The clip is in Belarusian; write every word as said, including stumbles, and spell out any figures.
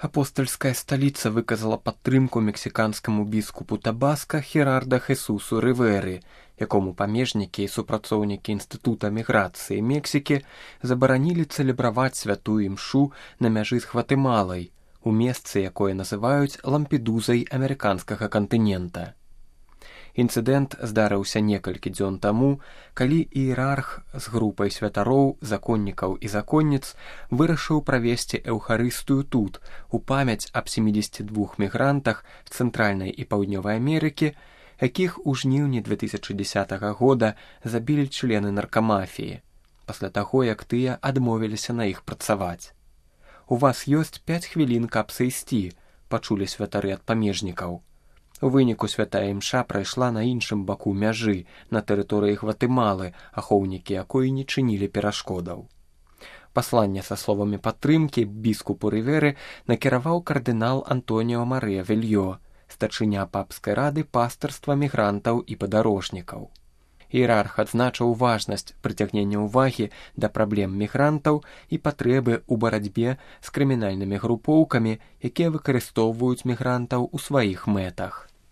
Апостальская сталіца выказала падтрымку мексіканскаму біскупу Табаска Херарда Хесусу Рыверы, якому памежнікі і супрацоўнікі Інстытута міграцыі Мексікі забаранілі цэлебраваць святую імшу на мяжы з Гватэмалай, у месцы, якое называюць Лампедузай амерыканскага кантынента. Інцыдэнт здарыўся некалькі дзён таму, калі іерарх з групай святароў, законнікаў і законніц вырашыў правесці эўхарыстыю тут, у памяць аб семидзесяти двух мігрантах з Цэнтральнай і Паўднёвай Амерыкі, якіх у жніўні две тысячы дзесятага года забілі члены наркамафіі, пасля таго, як тыя адмовіліся на іх працаваць. «У вас ёсць пяць хвілін, каб сысці», пачулі святары ад памежнікаў. У выніку святая імша прайшла на іншым баку мяжы, на тэрыторыі Гватэмалы, ахоўнікі якой не чынілі перашкодаў. Пасланне са словамі падтрымкі біскупу Рыверы накіраваў кардынал Антоніо Марыя Вельё, старшыня папскай рады пастырства мігрантаў і падарожнікаў. Іерарх адзначыў важнасць прыцягнення ўвагі да праблем мігрантаў і патрэбы ў барацьбе з крымінальнымі групоўкамі, якія выкарыстоўваюць мігрантаў у сваіх мэтах.